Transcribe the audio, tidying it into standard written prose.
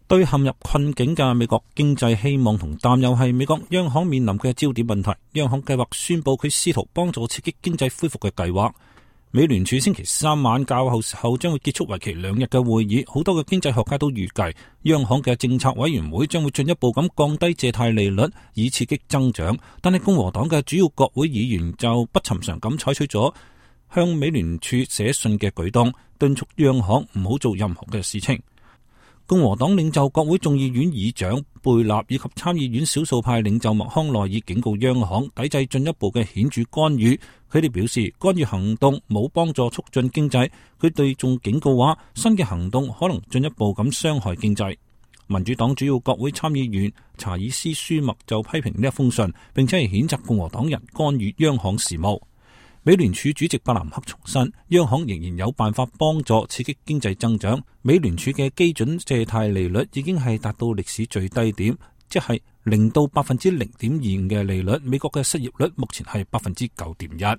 對陷入困境嘅美國經濟希望同擔憂係美國央行面臨嘅焦點問題。央行計劃宣布佢試圖幫助刺激經濟恢復嘅計劃。美聯儲星期三晚較後時候將會結束為期2日嘅會議，好多嘅經濟學家都預計央行嘅政策委員會將會進一步咁降低借貸利率以刺激增長。但係共和黨嘅主要國會議員就不尋常咁採取咗向美聯儲寫信嘅舉動，敦促央行唔好做任何嘅事情。共和黨領袖國會眾議院議長貝納以及參議院少數派領袖麥康奈爾警告央行抵制進一步嘅顯著干預。佢哋表示干預行動冇幫助促進經濟。佢哋仲警告話新嘅行動可能進一步咁傷害經濟。民主黨主要國會參議員查爾斯舒默就批評呢一封信，並且係譴責共和黨人干預央行事務。美聯儲主席伯南克重申，央行仍然有辦法幫助刺激經濟增長。美聯儲嘅基準借貸利率已經係達到歷史最低點，即係0到0.25%嘅利率。美國嘅失業率目前係9.1%。